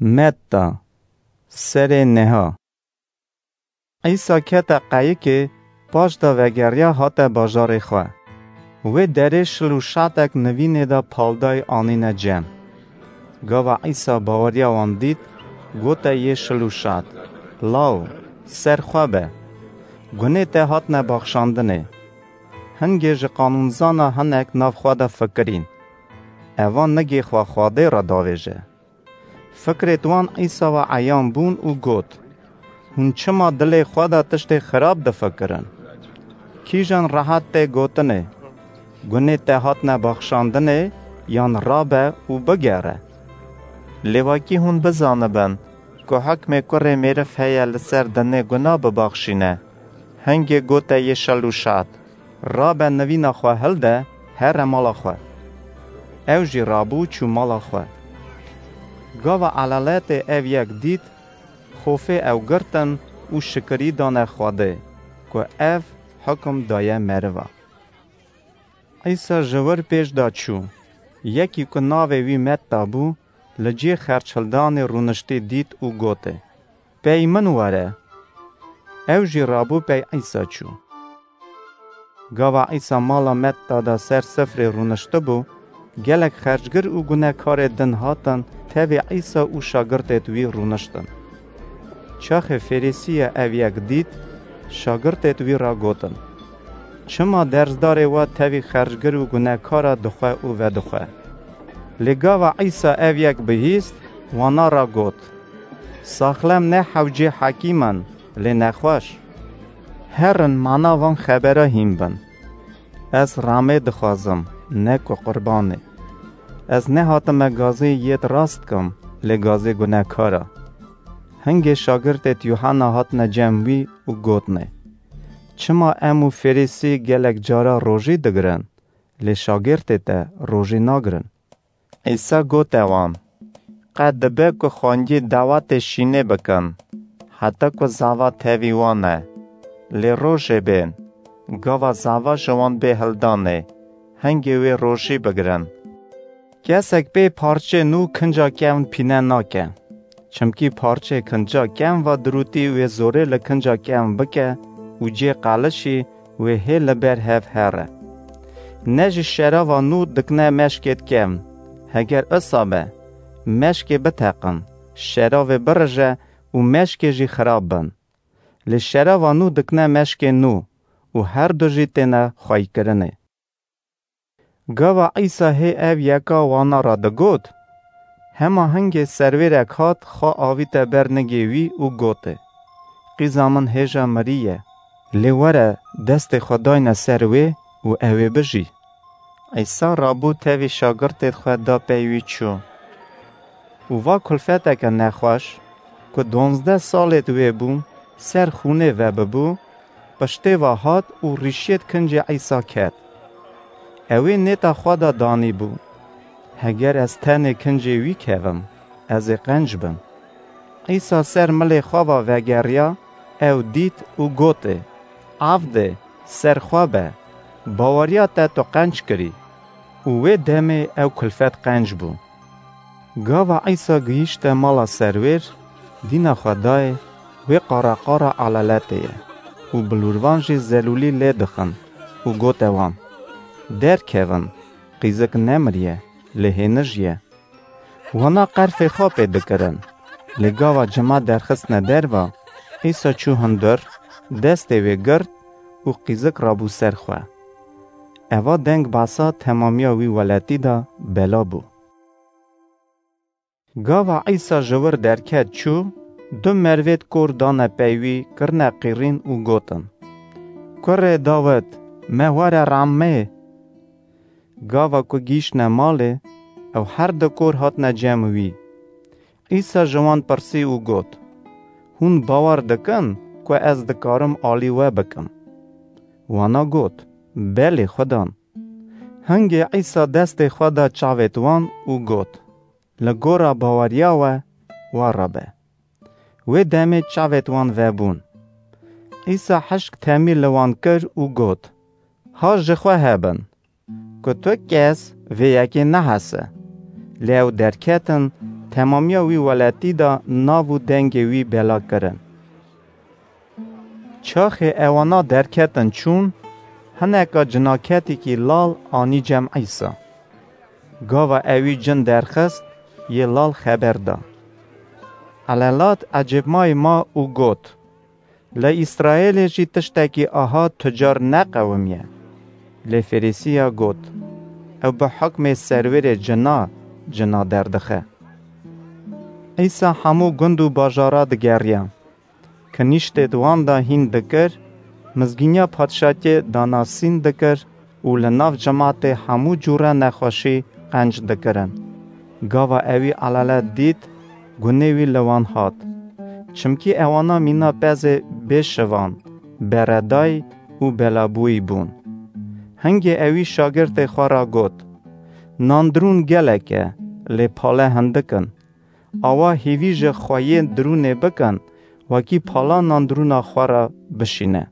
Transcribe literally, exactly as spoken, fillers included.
Metta, serê neha. Îsa kete qeyikê, paş de vegeriya hate bajarê xwe. Wê derê şil û şatek nivînê de paldayî anîne cem. Gava Îsa baweriya wan dît, gote yê şil û şat, "Law, ser xwe be." Gunê te hatine baxşandinê. Hingê ji qanûnzana hinek nav xwe de fikirîn, "Eva nigê xwe Xwedê re davêje." Fikrêt wan Îsa ve eyan bûn û got, "Hûn çima dilê xwe de tiştê xirab difikirin? Kîjan rehet tê gotinê, 'Gunê te hatine baxşandinê', yan 'Rabe û bigere'? Lê wekî hûn bizanibin ku hikmê kurê mêriv heye li ser dinê guna bibaxşîne, hingê gote yê şel û şat, 'Rabe nivîna xwe hilde, here mala xwe.' Ew jî rabû çû mala xwe." Gava elaletê ev yek dît, xofê ew girtin û şikirî dane Xwedê, ku ev hukum daye meriva. Îsa ji wir pêş de çû. Yekî ku navê wî Metta bû, li cihê xerçhildanê rûniştî dît û gotê, "Pey min were." Ew jî rabû pey Îsa çû. Gava Îsa mala Metta de ser sifrê rûniştibû, gelek xercgir û gunekarê din hatin tevî Îsa û şagirtêt wî rûniştin. Çaxê Fêrîsiya ev yek dît, şagirtêt wî re gotin, "Çima dersdarê we tevî xercgir û gunekara dixwe û vedixwe?" Lê gava Îsa ev yek bihîst, wana re got, "Saxlem ne hewcê hekîm in, lê nexweş. Herin mana van xebera hîn bin. Ez ramê dixwazim, ne ku qurbanê. Ez nehatime gazê yêd rast kim, lê gazê gunekara." Hingê şagirtêt Yuhanna hatine cem wî û gotnê, "Çima em û Fêrîsî gelek cara rojî digirin, lê şagirtê te rojî nagirin?" Îsa gote wan, "Qe dibe ku xwengî dawetê şînê bikin, heta ku zava tevî wan e. Lê rojê bên, gava zava ji wan bê hildanê, hingê wê rojî bigirin. Kesek pê parçê nû kinca kevn pîne nake. Çimkî parçê kinca kevn ve dirûtî wê zorê li kinca kevn bike û cê qelişî wê hê li ber hev here. Ne ji şerava nû dikine meşkêt kevn. Heger isa be, meşkê biteqin, şeravê birije û meşkê jî xirab bin. Lê şerava nû dikine meşkê nû û her du jî têne xweykirinê." Gava Îsa hê ev yeka wana re digot, hema hingê serwêrek hat, xwe avîte ber nigê wî û gotê, "Qîza min hêja mirî ye. Lê were, destê xwe dayne ser wê û ew ê bijî." Îsa rabû tevî şagirtêt xwe da pey wî çû. Û va kulfeteke nexweş, ku duwazdeh salêt wê bû, ser xûnê vebibû, piştê ve hat û rîşiyêt kincê Îsa ket. Ew ê nêta xwe de danîbû, "Heger ez tenê kincê wî kevim, ez ê qenc bim." Îsa ser milê xwe ve vegeriya, ew dît û gotê, "Avdê, ser xwe be, baweriya te tu qenc kirî." Û wê demê ew kulfet qenc bû. Gava Îsa gihîşte mala serwêr, dîna xwe dayê, wê qara qara elaletê ye û bilûrvan jî zelûlî lê dixin û gote wan, "Derkevin, qîzik nemiriye, lê hênij ye." Wana qerfê xwe pê dikirin. Lê gava cima derxistine derva, Îsa çû hundir, destê wê girt û qîzik rabû ser xwe. Eva deng behsa temamiya wî welatî de bela bû. Gava Îsa ji wir derket çû, du mervêt kor dane pey wî, kirine qîrîn û gotin, "Kurê Dawid, me were rehmê." Gava ku gihîştine malê, ew her du kor hatine cem wî. Îsa ji wan pirsî û got, "Hûn bawer dikin ku ez dikarim alî we bikim?" Wana got, "Belê, Xudan." Hingê Îsa destê xwe da çavêt wan û got, "Li gora baweriya we, wa re be." Wê demê çavêt wan vebûn. Îsa hişk temî li wan kir û got, "Ha ji xwe hebin, ku tu kes vê yekê nehese." Lê ew derketin, temamiya wî welatî de nav û dengê wî bela kirin. Çaxê ewana derketin çûn, hineka cinaketîkî lal anî cem Îsa. Gava ewî cin derxist, yê lal xeber da. Elelat ecêbmayî ma û got: Li Îsraêlê jî tiştekî aha tu car neqewimiye. Lê Ferîsiya got: Ew bi hukmê serwêrê cina, cina derdixe. Îsa hemû gund û bajara digeriya. Kinîştê di wan de hîn dikir, mizgîniya padşatiyê danasîn dikir û li nav cimatê hemû cûre nexweşî qenc dikirin. Gava ewî elele dît, gunê wî li wan hat. Çimkî ewana mîna pezê bêşivan, beredayî û belabûyî bûn. Hingê ewî şagirtê xwe re got: Nandirûn gelek e, lê pale hindik in. Awa hêvî ji xweyê dirûnê bikin, wekî pala nandirûna xwe re bişîne.